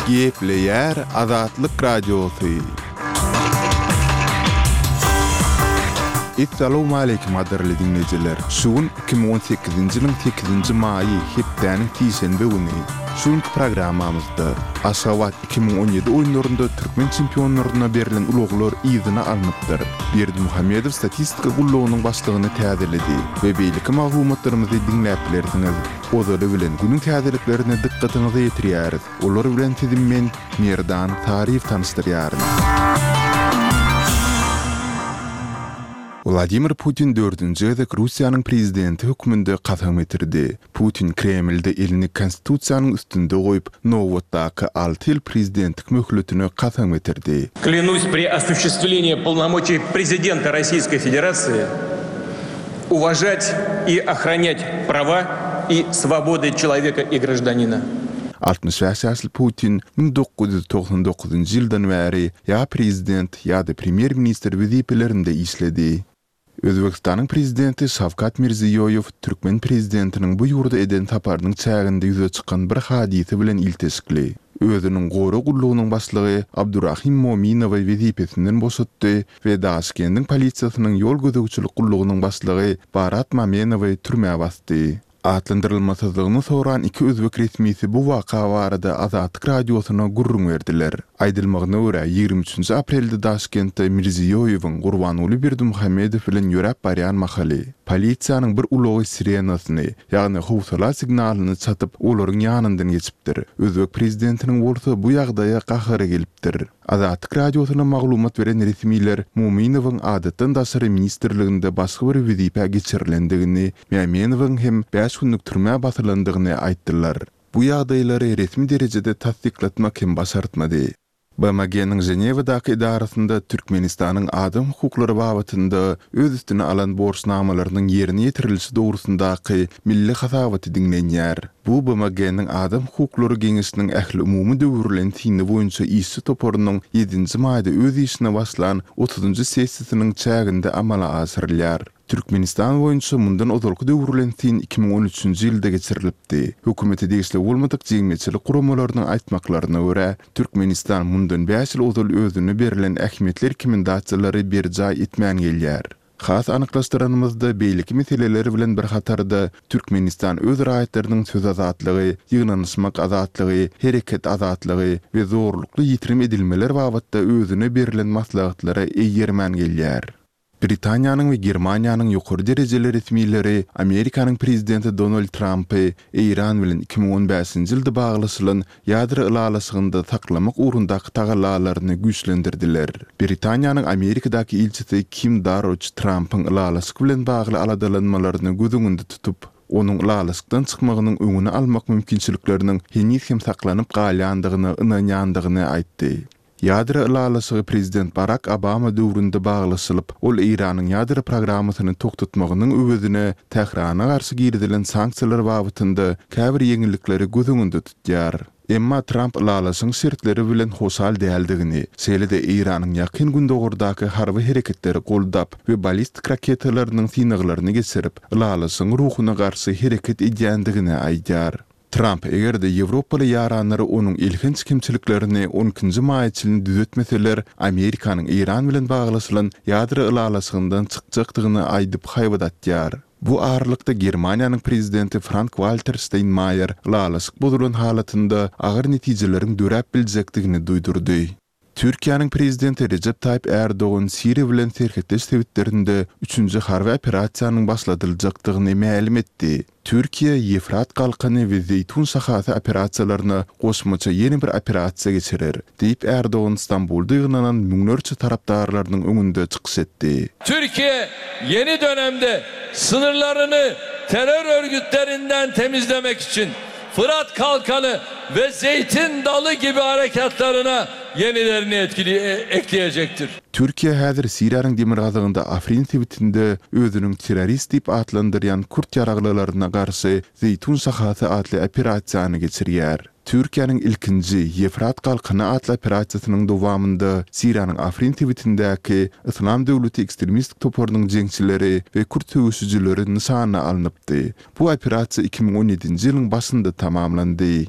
Gepleýär Azatlyk Radiosy. Essalawmaleýkim gadyrly diňleýjiler! Şu gün 2018-nji ýylyň sekizinji maýy, hepdäniň sişenbe güni. Şu günki programmamyzda, Aşgabat 2017 oýunlarynda türkmen çempionlaryna berlen ulaglar yzyna alnypdyr. Berdimuhamedow statistika gullugynyň başlygyny täzeledi we beýleki maglumatlarymyzy diňläp bilersiňiz. Ozaly bilen günüň täzeliklerini dykgatyňyza ýetirýäris. Olar bilen sizi men, Merdan Saryýew tanyşdyrýaryn. Wladimir Putin dördünji gezek Russiýanyň prezidenti hökmünde kasam getirdi. Putin Kremlde elini Konstitusiýanyň üstünde goýup, nobatdaky alty ýyl prezidentlik möhletine kasam getirdi. Klянусь при осуществлении полномочий Президента Российской Федерации уважать и охранять права и свободы человека и гражданина. 65 ýaşly Putin 1999-njy ýyldan bäri ýa prezident, ýa-da premýer-ministr wezipelerinde işledi. Özbegistanyň Prezidenti Şawkat Mirziýoýew türkmen prezidentiniň bu ýurda eden saparynyň çäginde ýüze çykan bir hadysa bilen ilteşikli, özüniň gorag gullugynyň başlygy Abdurahim Mominowy wezipesinden boşatdy we Daşkendiň polisiýasynyň ýol gözegçilik gullugynyň başlygy Barat Mamenowy türmä basdy. Atlandyrylmasyzlygyny soran iki özbek resmisi bu waka barada Azatlyk Radiosyna gürrüň berdiler. Aýdylmagyna görä, 23 nji aprelde Daşkentde Mirziýoýewiň Gurbanguly Berdimuhamedow bilen ýöräp barýan mahaly, polisiýanyň bir ulagy sirenasyny, ýagny howsala signalyny çatyp, olaryň ýanyndan geçipdir. Özbek prezidentiniň bolsa bu ýagdaýa gahary gelipdir. Azatlyk Radiosyna maglumat beren resmiler Muminowyň adatdan daşary ministrliginde başga bir wezipä geçirilendigini, Mämenowyň hem bäş günlük türmä basylandygyny aýtdylar. Bu ýagdaýlary resmi derejede tassyklatmak hem başartmady. BMG-niň Ženewadaky edarasynda Türkmenistanyň adam hukuklary babatynda öz üstüne alan borçnamalarynyň ýerine ýetirilişi dogrusyndaky milli hasabaty diňlenýär. Bu BMG-niň Adam hukuklary geňeşiniň ähliumumy döwürleýin syny boýunça işçi toparynyň ýedinji maýda öz işine başlan otuzynjy sessiýasynyň çäginde amala aşyrylýar. Türkmenistan boýunça mundan ozalky döwürleýin syn 2013-nji ýylda geçirilipdi. Hökümete degişli bolmadyk jemgyýetçilik guramalarynyň aýtmaklaryna görä, Türkmenistan mundan bäş ýyl ozal özüne berlen ähmiýetli rekomendasiýalary berjaý etmän gelýär. Has anyklaşdyranymyzda, beýleki meseleler bilen bir hatarda, Türkmenistan öz raýatlarynyň söz azatlygy, ýygnanyşmak azatlygy, hereket azatlygy we zorlukly ýitirim edilmeler babatda özüne berlen maslahatlara eýermän gelýär. Britaniýanyň we Germaniýanyň ýokary derejeli resmileri Amerikanyň prezidenti Donald Trampy Eýran bilen 2015-nji ýylda baglaşylan ýadro ylalaşygynda saklamak ugrundaky tagallalaryny güýçlendirdiler. Britaniýanyň Amerikadaky ilçisi Kim Darroç Trampyň ylalaşyk bilen bagly aladalanmalaryny göz öňünde tutup, onuň ylalaşykdan çykmagynyň öňüni almak mümkinçilikleriniň heniz hem saklanyp galýandygyna ynanýandygyny aýtdy. Ýadro ylalaşygy prezident Barak Obama döwründe baglaşylyp, ol Eýranyň ýadro programmasyny togtatmagynyň öwezine Tährana garşy girizilen sanksiýalar babatynda käbir ýeňillikleri göz öňünde tutýar. Emma Tramp ylalaşygyň şertleri bilen hoşal däldigini, şeýle-de Eýranyň Ýakyn Gündogardaky harby hereketleri goldap we ballistik raketalarynyň synaglaryny geçirip, ylalaşygyň ruhuna garşy hereket edýändigini aýdýar. Tramp, eger-de ýewropaly ýaranlary onuň elhenç kemçiliklerini on ikinji maýa çenli düzetmeseler, Amerikanyň Eýran bilen baglaşylan ýadro ylalaşygyndan çykjakdygyny aýdyp haýbat atýar. Bu aralykda Germaniýanyň prezidenti Frank-Walter Şteýnmaýer ylalaşyk bozulan halatynda agyr netijeleriň döräp biljekdigini duýdurdy. Türkiýäniň prezidenti Rejep Taýyp Ärdogan Siriýa bilen serhetdeş sebitlerinde üçünji harby operasiýanyň başladyljakdygyny mälim etdi. Türkiýe Ýefrat galkany we Zeýtun şahasy operasiýalaryna goşmaça ýene bir operasiýa geçirer, diýip Ärdogan Stambulda ýygnanan müňlerçe tarapdarlarynyň öňünde çykyş etdi. Türkiýe ýeni dönemde sınırlaryny terör örgütlerinden temizlemek üçin Fırat Kalkanı we Zeýtin Daly gibi harekatlaryna ýenilerini ekleyecektir. Türkiýe häzir Siriýanyň demirgazygynda Afrin sebitinde özüniň terrorist diýip atlandyrýan kürt ýaraglylaryna garşy Zeýtun şahasy atly operasiýany geçirýär. Türkiýäniň ilkinji Ýefrat galkany atly operasiýasynyň dowamynda Siriýanyň Afrin sebitindäki Yslam döwleti ekstremistik toparynyň jeňçileri we kürt söweşijileri nyşana alnypdy. Bu operasiýa 2017-nji ýylyň başynda tamamlandy.